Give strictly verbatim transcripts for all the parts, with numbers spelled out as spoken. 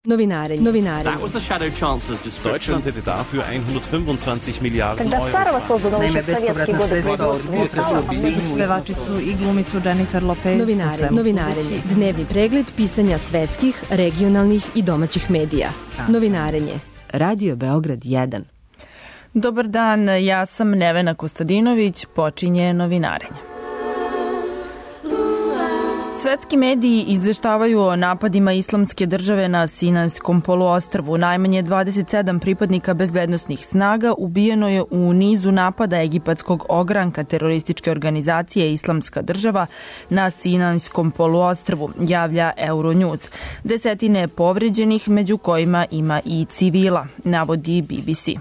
Novinarenje. Novinarenje. That was the shadow chancellor's description. Deutschland hätte dafür hundertfünfundzwanzig Milliarden Когда старого созданного Naime, еще в советские bespovratna годы sredstva od производства pevačicu i glumicu Jennifer Lopez. Novinarenje. Novinarenje. Dnevni pregled pisanja svetskih, regionalnih i domaćih medija. Novinarenje. Radio Beograd jedan. Dobar dan, ja sam Nevena Kostadinović, počinje Novinarenje. Svetski mediji izveštavaju o napadima Islamske države na Sinajskom poluostrvu. Najmanje dvadeset sedam pripadnika bezbednosnih snaga ubijeno je u nizu napada egipatskog ogranka terorističke organizacije Islamska država na Sinajskom poluostrvu, javlja Euronews. Desetine povređenih, među kojima ima i civila, navodi B B C.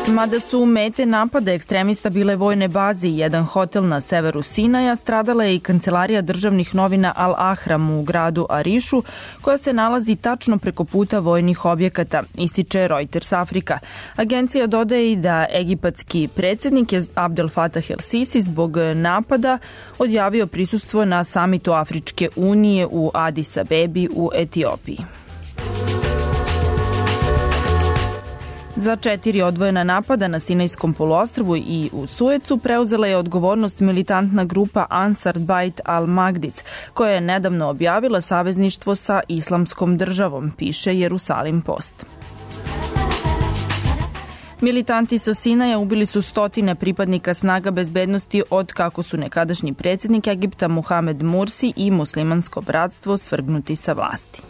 Mada su mete napada ekstremista bile vojne baze i jedan hotel na severu Sinaja, stradala je i kancelarija državnih novina Al Ahram u gradu Arišu, koja se nalazi tačno preko puta vojnih objekata, ističe Reuters Afrika. Agencija dodaje i da egipatski predsjednik je Abdel Fattah el-Sisi zbog napada odjavio prisustvo na samitu Afričke unije u Adis Abebi u Etiopiji. Za četiri odvojena napada na Sinajskom poluostrvu i u Suecu preuzela je odgovornost militantna grupa Ansar Bait al-Magdis, koja je nedavno objavila savezništvo sa Islamskom državom, piše Jerusalim Post. Militanti sa Sinaja ubili su stotine pripadnika snaga bezbednosti od kako su nekadašnji predsjednik Egipta Muhamed Mursi i muslimansko bratstvo svrgnuti sa vlasti.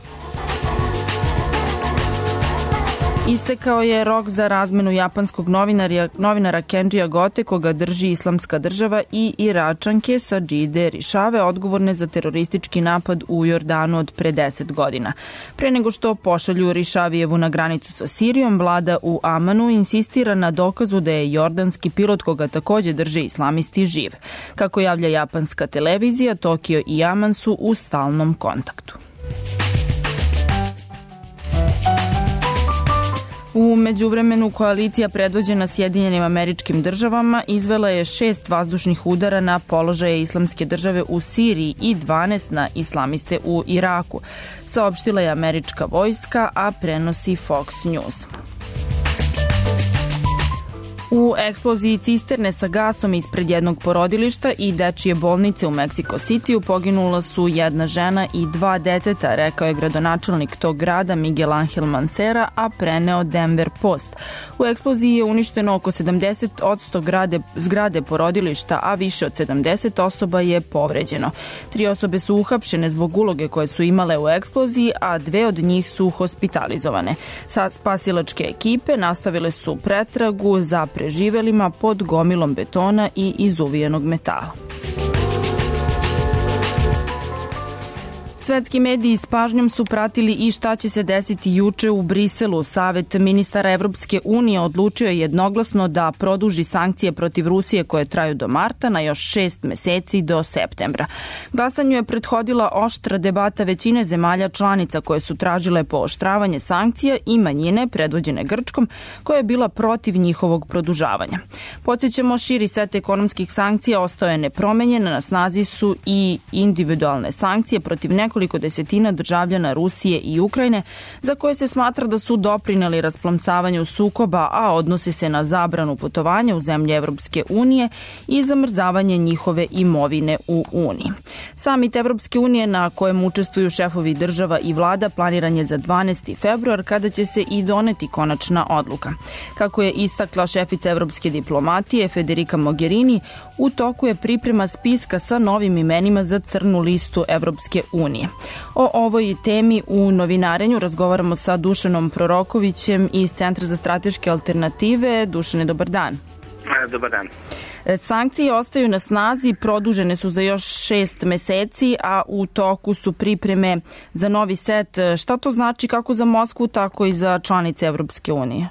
Istekao je rok za razmenu japanskog novinara, novinara Kenjija Gote, koga drži Islamska država, i Iračanke Sadžide Rišave, odgovorne za teroristički napad u Jordanu od pre deset godina. Pre nego što pošalju Rišavijevu na granicu sa Sirijom, vlada u Amanu insistira na dokazu da je jordanski pilot, koga takođe drže islamisti, živ. Kako javlja japanska televizija, Tokio i Aman su u stalnom kontaktu. U međuvremenu koalicija predvođena Sjedinjenim Američkim Državama izvela je šest vazdušnih udara na položaje Islamske države u Siriji i dvanaest na islamiste u Iraku, saopštila je američka vojska, a prenosi Fox News. U eksploziji cisterne sa gasom ispred jednog porodilišta i dečije bolnice u Meksiko Cityu poginula su jedna žena i dva deteta, rekao je gradonačelnik tog grada Miguel Angel Mancera, a preneo Denver Post. U eksploziji je uništeno oko sedamdeset posto zgrade, zgrade porodilišta, a više od sedamdeset osoba je povređeno. Tri osobe su uhapšene zbog uloge koje su imale u eksploziji, a dve od njih su hospitalizovane. Sa spasilačke ekipe nastavile su pretragu za preživelima pod gomilom betona i izuvijenog metala. Svetski mediji s pažnjom su pratili i šta će se desiti juče u Briselu. Savet ministara Evropske unije odlučio je jednoglasno da produži sankcije protiv Rusije koje traju do marta na još šest meseci do septembra. Glasanju je prethodila oštra debata većine zemalja članica koje su tražile pooštravanje sankcija i manjine predvođene Grčkom koja je bila protiv njihovog produžavanja. Podsjećamo, širi set ekonomskih sankcija ostao je nepromenjen, na snazi su i individualne sankcije protiv nekoliko nekoliko desetina državljana Rusije i Ukrajine za koje se smatra da su doprineli rasplamsavanju sukoba, a odnosi se na zabranu putovanja u zemlje Evropske unije i zamrzavanje njihove imovine u Uniji. Samit Evropske unije na kojem učestvuju šefovi država i vlada planiran je za dvanaesti februar, kada će se i doneti konačna odluka. Kako je istakla šefica evropske diplomatije Federica Mogherini, u toku je priprema spiska sa novim imenima za crnu listu Evropske unije. O ovoj temi u Novinarenju razgovaramo sa Dušanom Prorokovićem iz Centra za strateške alternative. Dušane, dobar dan. Dobar dan. Sankcije ostaju na snazi, produžene su za još šest meseci, a u toku su pripreme za novi set. Šta to znači kako za Moskvu, tako i za članice Evropske unije?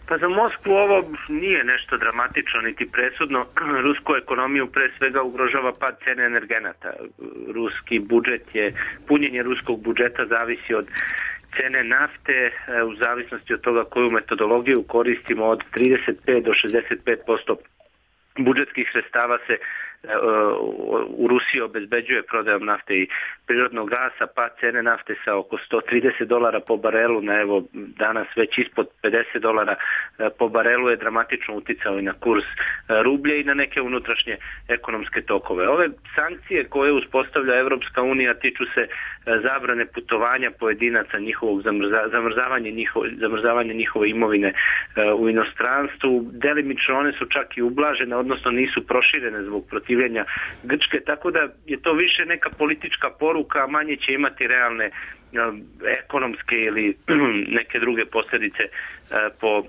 Pa za Moskvu ovo nije nešto dramatično niti presudno. Rusku ekonomiju pre svega ugrožava pad cene energenata. Ruski budžet je, punjenje ruskog budžeta zavisi od cene nafte, u zavisnosti od toga koju metodologiju koristimo, od trideset pet do šezdeset pet posto budžetskih sredstava se u Rusiji obezbeđuje prodajom nafte i prirodnog gasa, pa cene nafte sa oko sto trideset dolara po barelu na evo danas već ispod pedeset dolara po barelu je dramatično uticao i na kurs rublja i na neke unutrašnje ekonomske tokove. Ove sankcije koje uspostavlja Evropska unija tiču se zabrane putovanja pojedinaca, njihovog zamrza, zamrzavanje, njiho, zamrzavanje njihove imovine u inostranstvu. Delimično one su čak i ublažene, odnosno nisu proširene zbog protivljenja Grčke, tako da je to više neka politička poruka, a manje će imati realne ekonomske ili neke druge posljedice po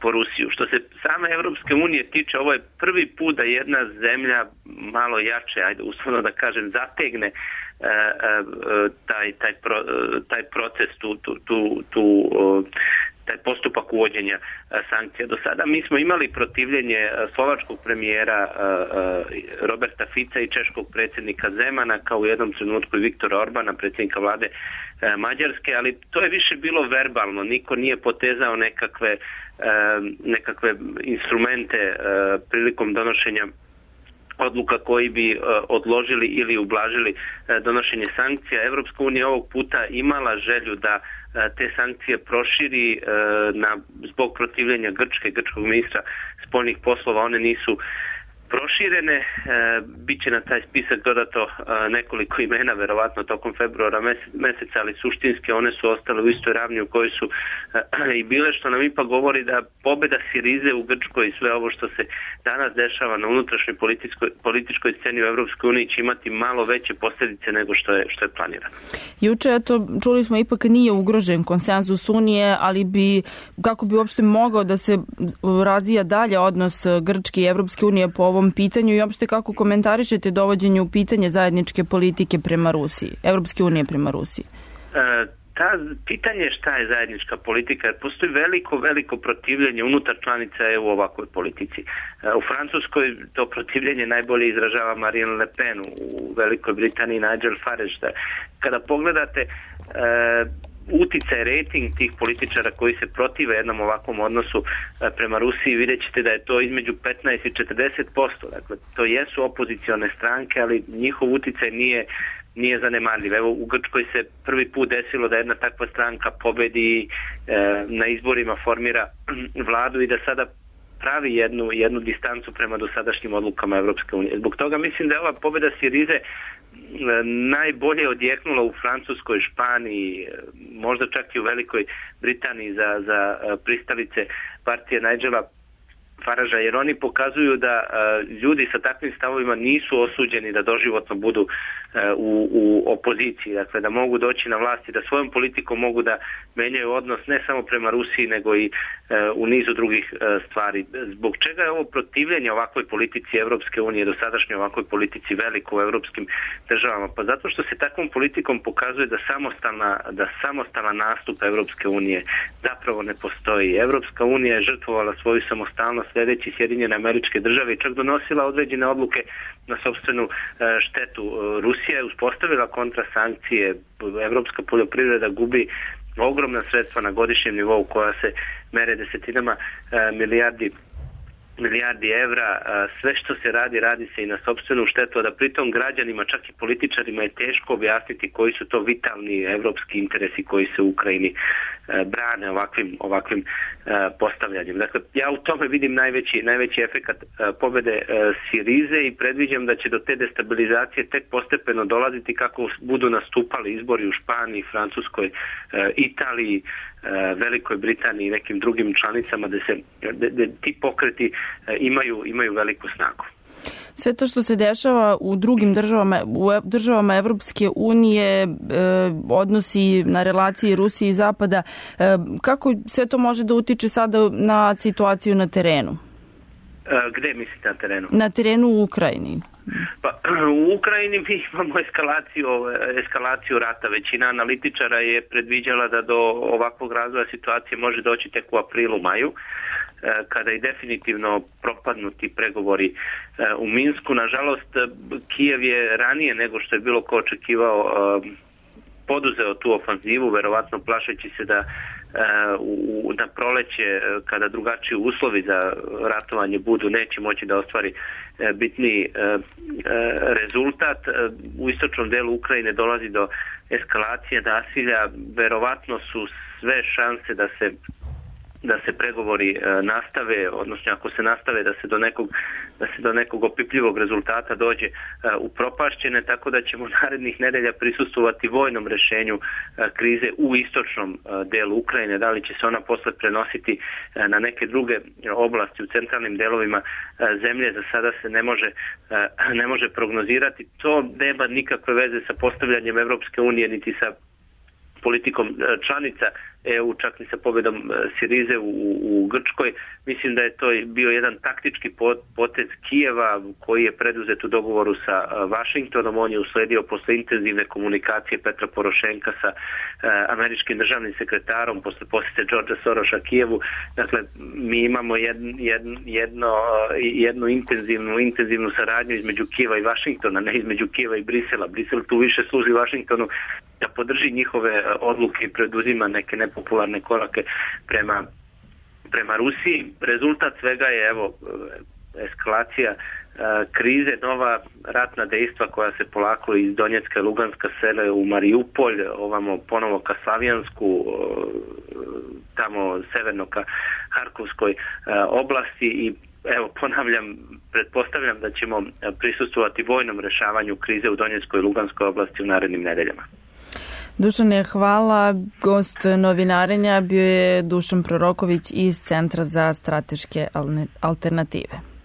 po Rusiju. Što se same Evropske unije tiče, ovo je prvi put da jedna zemlja malo jače, ajde uslovno da kažem, zategne uh, uh, taj, taj, pro, uh, taj proces, tu, tu, tu, tu uh, taj postupak uvođenja uh, sankcija. Do sada mi smo imali protivljenje uh, slovačkog premijera uh, uh, Roberta Fica i češkog predsjednika Zemana, kao u jednom trenutku i Viktora Orbana, predsjednika vlade uh, Mađarske, ali to je više bilo verbalno. Niko nije potezao nekakve nekakve instrumente prilikom donošenja odluka koji bi odložili ili ublažili donošenje sankcija. Evropska unija ovog puta imala želju da te sankcije proširi na, zbog protivljenja Grčke, grčkog ministra spoljnih poslova. One nisu proširene, e, bit će na taj spisak dodato e, nekoliko imena, verovatno tokom februara mesec, meseca, ali suštinski one su ostale u istoj ravni u kojoj su e, i bile, što nam ipak govori da pobjeda Sirize u Grčkoj i sve ovo što se danas dešava na unutrašnjoj političkoj, političkoj sceni u Evropskoj uniji će imati malo veće posljedice nego što je, što je planirano. Juče, eto, čuli smo, ipak nije ugrožen konsenzus Unije, ali bi, kako bi uopšte mogao da se razvija dalje odnos Grčke i Evropske unije po ovom pitanju i uopšte kako komentarišete dovođenje u pitanje zajedničke politike prema Rusiji, Evropske unije prema Rusiji? E, ta pitanje šta je zajednička politika, jer postoji veliko, veliko protivljenje unutar članica E U u ovakvoj politici. E, u Francuskoj to protivljenje najbolje izražava Marine Le Pen, u Velikoj Britaniji Nigel Farage. Kada pogledate e, uticaj, rating tih političara koji se protive jednom ovakvom odnosu prema Rusiji, vidjet ćete da je to između petnaest i četrdeset posto. Dakle, to jesu opozicione stranke, ali njihov uticaj nije, nije zanemarljiv. Evo, u Grčkoj se prvi put desilo da jedna takva stranka pobedi e, na izborima, formira vladu i da sada pravi jednu, jednu distancu prema dosadašnjim odlukama Evropske unije. Zbog toga mislim da je ova pobjeda Sirize najbolje odjeknula u Francuskoj, Španiji, možda čak i u Velikoj Britaniji za, za pristalice partije Nigela Faraža, jer oni pokazuju da uh, ljudi sa takvim stavovima nisu osuđeni da doživotno budu uh, u, u opoziciji, dakle da mogu doći na vlast i da svojom politikom mogu da menjaju odnos ne samo prema Rusiji nego i uh, u nizu drugih uh, stvari. Zbog čega je ovo protivljenje ovakvoj politici Evropske unije, dosadašnjoj ovakvoj politici veliko u evropskim državama? Pa zato što se takvom politikom pokazuje da samostalna, da samostalan nastup Evropske unije zapravo ne postoji. Evropska unija je žrtvovala svoju samostalnost sljedeći Sjedinjene Američke Države i čak donosila određene odluke na sopstvenu štetu. Rusija je uspostavila kontrasankcije, evropska poljoprivreda gubi ogromna sredstva na godišnjem nivou koja se mere desetinama milijardi milijardi evra, sve što se radi, radi se i na sopstvenu štetu, a da pritom građanima, čak i političarima je teško objasniti koji su to vitalni evropski interesi koji se u Ukrajini brane ovakvim, ovakvim postavljanjem. Dakle, ja u tome vidim najveći, najveći efekat pobjede Sirize i predviđam da će do te destabilizacije tek postepeno dolaziti kako budu nastupali izbori u Španiji, Francuskoj, Italiji, Velikoj Britaniji i nekim drugim članicama da se da, da ti pokreti imaju, imaju veliku snagu. Sve to što se dešava u drugim državama, u državama Evropske unije, e, odnosi na relaciji Rusije i Zapada, e, kako sve to može da utiče sada na situaciju na terenu? E, gde mislite na terenu? Na terenu u Ukrajini. Pa, u Ukrajini mi imamo eskalaciju, eskalaciju rata. Većina analitičara je predviđala da do ovakvog razvoja situacije može doći tek u aprilu, maju, kada i definitivno propadnu ti pregovori u Minsku. Nažalost, Kijev je ranije nego što je bilo ko očekivao poduzeo tu ofanzivu, verovatno plašeći se da u, na proleće, kada drugačiji uslovi za ratovanje budu, neće moći da ostvari bitni rezultat. U istočnom delu Ukrajine dolazi do eskalacije nasilja, verovatno su sve šanse da se da se pregovori e, nastave, odnosno ako se nastave da se do nekog da se do nekog opipljivog rezultata dođe e, upropašćene, tako da ćemo narednih nedelja prisustvovati vojnom rešenju e, krize u istočnom e, delu Ukrajine. Da li će se ona posle prenositi e, na neke druge oblasti u centralnim delovima e, zemlje, za sada se ne može e, ne može prognozirati. To nema nikakve veze sa postavljanjem Evropske unije niti sa politikom članica E U, čak ni sa pobedom Sirize u, u Grčkoj. Mislim da je to bio jedan taktički potez Kijeva koji je preduzet u dogovoru sa Vašingtonom. On je usledio posle intenzivne komunikacije Petra Porošenka sa uh, američkim državnim sekretarom posle posjete Đorđa Soroša Kijevu. Dakle, mi imamo jedno, jedno, jedno, jednu intenzivnu, intenzivnu saradnju između Kijeva i Vašingtona, ne između Kijeva i Brisela. Brisel tu više služi Vašingtonu da podrži njihove odluke i preduzima neke nepopularne korake prema, prema Rusiji. Rezultat svega je evo eskalacija e, krize, nova ratna dejstva koja se polako iz Donjecka i Luganska sele u Mariupolj, ovamo ponovo ka Slavijansku, e, tamo severno ka Harkovskoj e, oblasti i evo ponavljam, pretpostavljam da ćemo prisustvovati vojnom rešavanju krize u Donjeckoj i Luganskoj oblasti u narednim nedeljama. Dušane, hvala. Gost novinarenja bio je Dušan Proroković iz Centra za strateške alternative.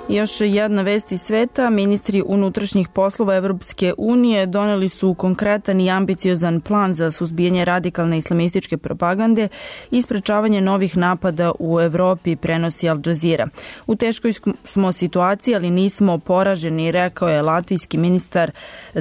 Još jedna vest iz sveta. Ministri unutrašnjih poslova Evropske unije doneli su konkretan i ambiciozan plan za suzbijanje radikalne islamističke propagande i sprečavanje novih napada u Evropi, prenosi Al Jazeera. U teškoj smo situaciji, ali nismo poraženi, rekao je latvijski ministar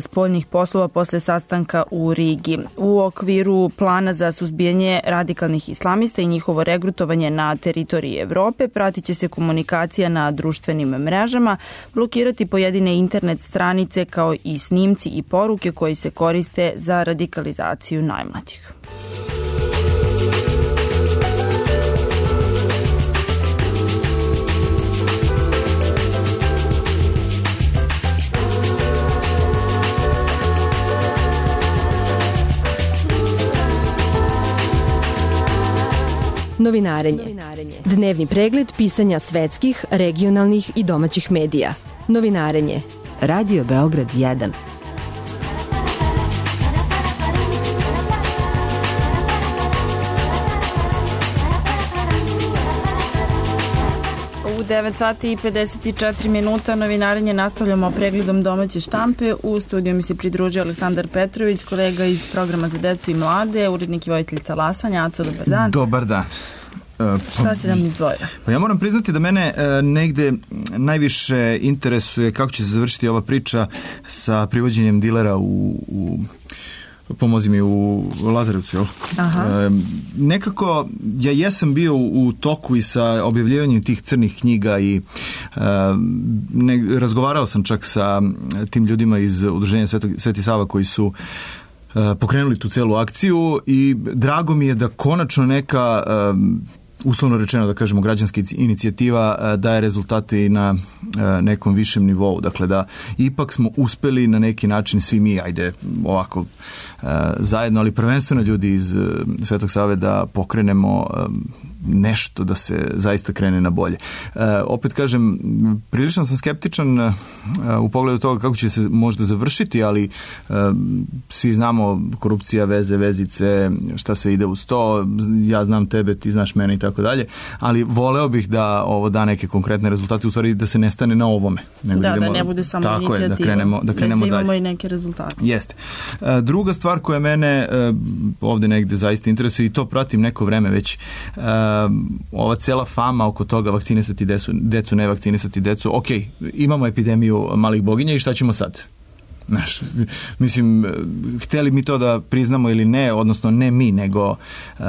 spoljnih poslova posle sastanka u Rigi. U okviru plana za suzbijanje radikalnih islamista i njihovo regrutovanje na teritoriji Evrope pratit će se komunikacija na društvenim mrežama, blokirati pojedine internet stranice kao i snimci i poruke koji se koriste za radikalizaciju najmlađih. Novinarenje. Dnevni pregled pisanja svetskih, regionalnih i domaćih medija. Novinarenje. Radio Beograd jedan. U devet sati i pedeset četiri minuta novinarenje nastavljamo pregledom domaće štampe. U studiju mi se pridružio Aleksandar Petrović, kolega iz programa za decu i mlade, urednik i vojitelj Talasanja. Aco, dobar dan. Dobar dan. Šta si nam izdvojio? Pa ja moram priznati da mene e, negde najviše interesuje kako će se završiti ova priča sa privođenjem dilera u, u pomozi mi u Lazarevcu, jel? Aha. E, nekako ja jesam bio u toku i sa objavljivanjem tih crnih knjiga i e, ne, razgovarao sam čak sa tim ljudima iz Udruženja Svetog, Sveti Sava koji su e, pokrenuli tu celu akciju i drago mi je da konačno neka e, uslovno rečeno, da kažemo, građanska inicijativa daje rezultate i na nekom višem nivou. Dakle, da ipak smo uspeli na neki način svi mi, ajde ovako zajedno, ali prvenstveno ljudi iz Svetog Save da pokrenemo nešto da se zaista krene na bolje. Opet kažem, prilično sam skeptičan u pogledu toga kako će se možda završiti, ali svi znamo korupcija, veze, vezice, šta se ide uz to, ja znam tebe, ti znaš mene i tako dalje, ali voleo bih da ovo da neke konkretne rezultate, u stvari da se ne stane na ovome. Nego da, idemo, da ne bude samo tako inicijativa. Je, da krenemo, da krenemo da imamo dalje. I neke rezultate. Jeste. Druga stvar koja mene ovde negde zaista interesuje i to pratim neko vreme već, ova cela fama oko toga vakcinisati decu, decu ne vakcinisati decu, ok, imamo epidemiju malih boginja i šta ćemo sad? Znaš, mislim, hteli mi to da priznamo ili ne, odnosno ne mi, nego uh,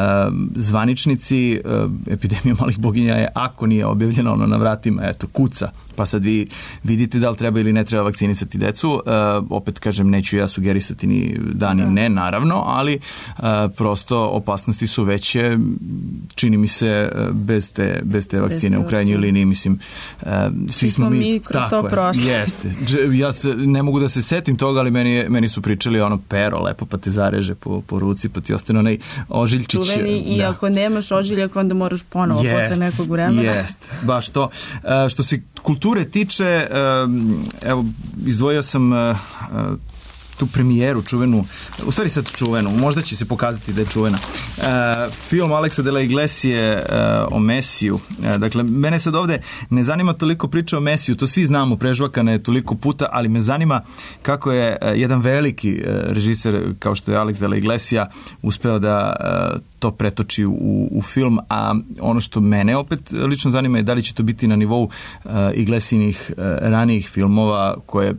zvaničnici, uh, epidemija malih boginja je, ako nije objavljeno ono na vratima, eto, kuca. Pa sad vi vidite da li treba ili ne treba vakcinisati decu. Uh, opet kažem, neću ja sugerisati ni da ni ne, naravno, ali uh, prosto opasnosti su veće, čini mi se, bez te, bez te vakcine bez u krajnjoj liniji, mislim, uh, svi smo mi, mi kroz to prošli. Jeste. Ja se, ne mogu da se setim toga, ali meni, meni su pričali ono pero, lepo, pa te zareže po, po ruci, pa ti ostane onaj ožiljčić. Čuveni, i da. Ako nemaš ožiljak, onda moraš ponovo jest, posle nekog vremena. Jeste, baš to. Uh, što se kulture tiče, um, evo, izdvojio sam uh, tu premijeru čuvenu, u stvari sad čuvenu, možda će se pokazati da je čuvena. Uh, film Aleksa de la Iglesie uh, o Mesiju. Uh, dakle, mene sad ovde ne zanima toliko priča o Mesiju, to svi znamo, prežvakana je toliko puta, ali me zanima kako je uh, jedan veliki uh, režiser kao što je Alex de la Iglesia uspeo da uh, to pretoči u, u film, a ono što mene opet lično zanima je da li će to biti na nivou uh, Iglesinih uh, ranijih filmova koje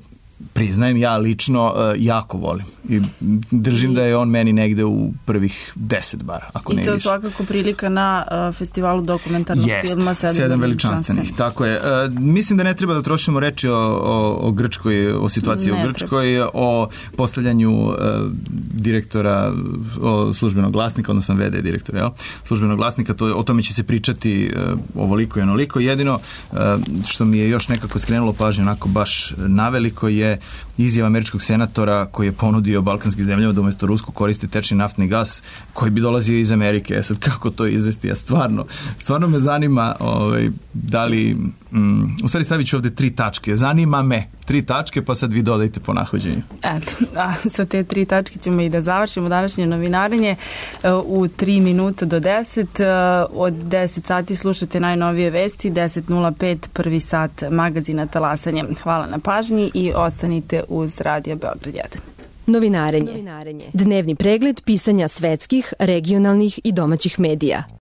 priznajem ja lično uh, jako volim i držim I, da je on meni negde u prvih deset bar, ako ne više. I to je svakako prilika na uh, festivalu dokumentarnog Jest, filma Sedam, sedam veličanstvenih. Tako je. Uh, mislim da ne treba da trošimo reči o, o, o Grčkoj, o situaciji ne u Grčkoj, treba. O postavljanju uh, direktora, o službenog glasnika, odnosno ve de direktora, jel? Službenog glasnika, to, o tome će se pričati uh, ovoliko i onoliko. Jedino uh, što mi je još nekako skrenulo pažnju onako baš naveliko je izjava američkog senatora koji je ponudio balkanskim zemljama da umesto rusku koriste tečni naftni gas koji bi dolazio iz Amerike. E sad, kako to izvesti? Ja stvarno, stvarno me zanima ovaj, da li... Mm, u stvari stavit ću ovde tri tačke. Zanima me. Tri tačke, pa sad vi dodajte po nahođenju. Eto, a sa te tri tačke ćemo i da završimo današnje novinarenje u tri minuta do deset. Od deset sati slušate najnovije vesti, deset nula pet, prvi sat magazina Talasanje. Hvala na pažnji i ostanite uz Radio Beograd jedan. Novinarenje. Novinarenje. Dnevni pregled pisanja svetskih, regionalnih i domaćih medija.